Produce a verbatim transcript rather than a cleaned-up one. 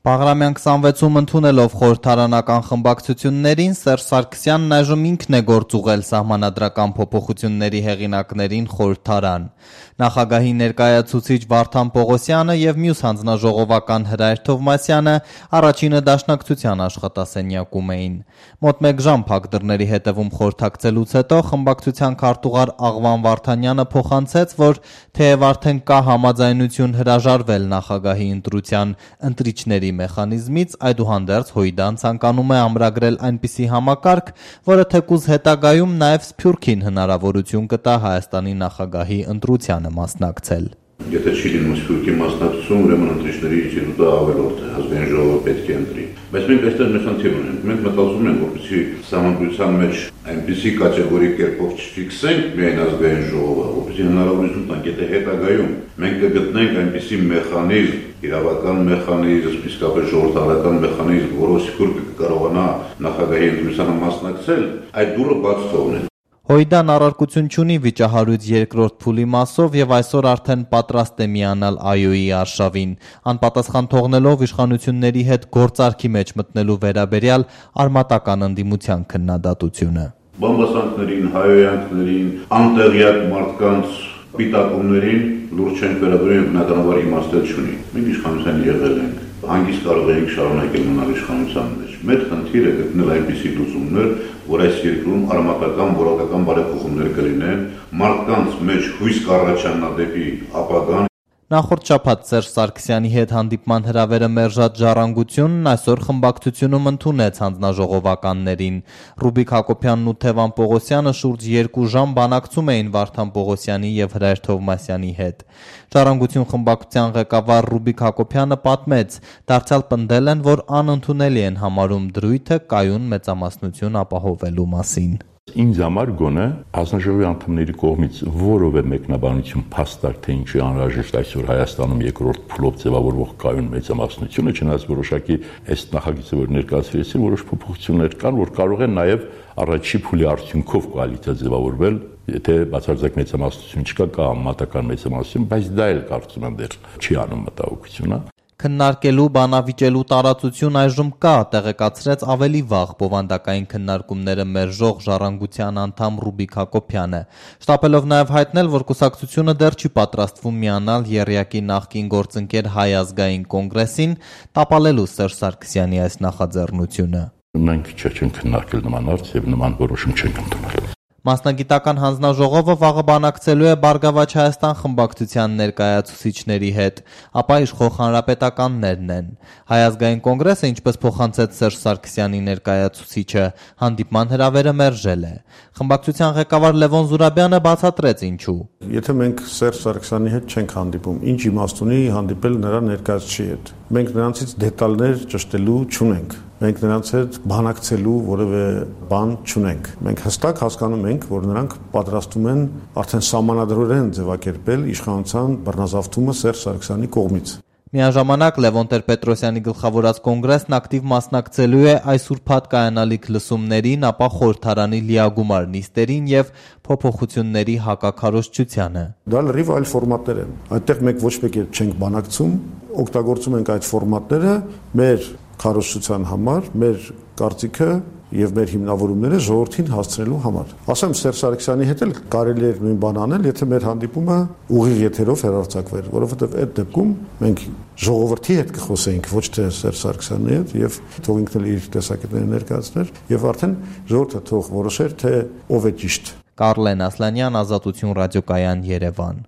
Բաղրամյան քսանվեցում ընդունելով խորհրդարանական խմբակցություններին, Սերժ Սարգսյանն այժմ ինքն է գործ ուղղել սահմանադրական փոփոխությունների հեղինակներին խորհրդարան։ Նախագահի ներկայացուցիչ Վարդան Պողոսյանը եւ մյուս հանձնաժողովական Հրայր Թովմասյանը առաջինը դաշնակցության աշխատասենյակում էին։ Մոտ մեկ ժամ փակ դռների հետևում խորհրդակցելուց հետո խմբակցության քարտուղար Աղվան Վարդանյանը փոխանցեց, որ թեև արդեն կա համաձայնություն հրաժարվել նախագահի ընտրության ընտրիչների մեխանիզմից, այդուհանդերձ Հույդան ցանկանում է ամրագրել այնպիսի համակարգ, որը թեկուզ հետագայում նաև Սփյուռքին հնարավորություն կտա Հայաստանի նախագահի ընտրությանը մասնակցել։ Եթե չի լինում Սփյուռքի մասնակցություն, ուրեմն ընտրիչների ինստիտուտը ավելորդ է, ազգային ժողովը պետք է ընտրի։ Բայց մենք այստեղ մեծ խնդիր ունենք։ Մենք մտածում ենք, որպեսզի սահմանադրության մեջ այնպիսի կատեգորիկ կերպով չֆիքսենք միայն ազգային ժողովը, որպեսզի հնարավորություն տանք, եթե հետագայում մենք կգտնենք այնպիսի մեխանիզմ, իրավական մեխանիզմ, իսկապես ժողովրդավարական մեխանիզմ, որով Սփյուռքը կկարողանա նախագահի ընտրությանը մասնակցել, այդ դուռը բաց թողնել։ Հույդան առարկություն չունի վիճահարույց երկրորդ փուլի մասով եւ այսօր արդեն պատրաստ է միանալ ԱՅՈ-ի արշավին, անպատասխան թողնելով իշխանությունների հետ գործարքի մեջ մտնելու վերաբերյալ արմատական ընդդիմության քննադատությունը։ Բամբասանքներին, հայոյանքներին, անտեղյակ մարդկանց պիտակումներին լուրջ չենք վերաբերում, բնականաբար իմաստել չունի։ Մենք իշխանության եղել ենք, հանգիստ կարող ենք շարունակել մնալ իշխանության մեջ։ Մեր խնդիրը գտնել այնպիսի լուծումներ, որ այս երկրում արմատական, որակական բարեփոխումներ կլինեն, մարդկանց մեջ հույս կառաջանա դեպի ապագան։ Նախորդ շաբաթ Սերժ Սարգսյանի հետ հանդիպման հրավերը մերժած Ժառանգությունն այսօր խմբակցությունում ընդունեց հանձնաժողովականներին։ Ռուբիկ Հակոբյանն ու Թևան Պողոսյանը շուրջ երկու ժամ բանակցում էին Վարդան Պողոսյանի եւ Հրայր Թովմասյանի հետ։ Ժառանգություն խմբակցության ղեկավար Ռուբիկ Հակոբյանը պատմեց, դարձյալ պնդել են, որ անընդունելի են համարում դրույթը կայուն մեծամասնություն ապահովելու մասին։ Ինձ համար գոնե հանձնաժողովի անդամների կողմից որևէ մեկնաբանություն փաստարկ թե ինչի անհրաժեշտ այսօր Հայաստանում երկրորդ փուլով ձևավորվող կայուն մեծամասնությունը, չնայած որոշակի այս նախագիծը, որ ներկայացրեցին, որոշ փոփոխություններ կան, որ կարող են նաև առաջի փուլի արդյունքով կոալիցիա ձևավորվել, եթե բացարձակ մեծամասնություն չկա, կա համատական մեծամասնություն, բայց դա էլ կարծում եմ դեռ չի անում մտահոգությունը։ Քննարկելու, բանավիճելու տարածություն այժմ կա, տեղեկացրեց ավելի վաղ բովանդակային քննարկումները մերժող Ժառանգության անդամ Ռուբիկ Հակոբյանը, շտապելով նաև հայտնել, որ կուսակցությունը դեռ չի պատրաստվում միանալ եռյակի նախկին գործընկեր Հայ ազգային կոնգրեսին, տապալելու Սերժ Սարգսյանի այս նախաձեռնությունը։ Մենք չենք քննարկել նման հարց եւ նման որոշում չենք ընդունել։ Մասնագիտական հանձնաժողովը վաղը բանակցելու է Բարգավաճ Հայաստան խմբակցության ներկայացուցիչների հետ, ապա իշխող հանրապետականներն են։ Հայ ազգային կոնգրեսը, ինչպես փոխանցեց Սերժ Սարգսյանի ներկայացուցիչը, հանդիպման հրավերը մերժել է։ Խմբակցության ղեկավար Լևոն Զուրաբյանը բացատրեց ինչու։ Եթե մենք Սերժ Սարգսյանի հետ չենք հանդիպում, ինչ իմաստ ունի հանդիպել նրա ներկայացուցիչի հետ։ Մենք նրանցից դետալներ ճշտելու չունենք։ Մենք նրանց հետ բանակցելու որևէ բան չունենք։ Մենք հստակ հասկանում ենք, որ նրանք պատրաստում են արդեն սահմանադրորեն ձևակերպել իշխանության բռնազավթումը Սերժ Սարգսյանի կողմից։ Միաժամանակ Լևոն Տեր-Պետրոսյանի գլխավորած կոնգրեսն ակտիվ մասնակցելու է այս ուրբաթ կայանալիք լսումներին, ապա խորհրդարանի լիագումար նիստերին եւ փոփոխությունների հակաքարոզչությանը։ Դա լրիվ այլ ֆորմատներ են։ Այդտեղ մենք ոչ մեկ չենք բանակցում, օգտագործում ենք այդ ֆորմատները մեր քարոզչության համար, մեր կարծիքը եւ մեր հիմնավորումները ժողովրդին հասցնելու համար։ Ասեմ Սերժ Սարգսյանի հետ էլ կարելի է նույն բան անել, եթե մեր հանդիպումը ուղիղ եթերով հեռարձակվեր, որովհետեւ այդ դեպքում մենք ժողովրդի հետ կխոսեինք, ոչ թե Սերժ Սարգսյանի հետ, եւ թող ինքն էլ իր տեսակետները ներկայացներ, եւ արդեն ժողովուրդը թող որոշեր, թե ով է ճիշտ։ Կարլեն Ասլանյան, Ազատություն ռադիոկայան, Երևան։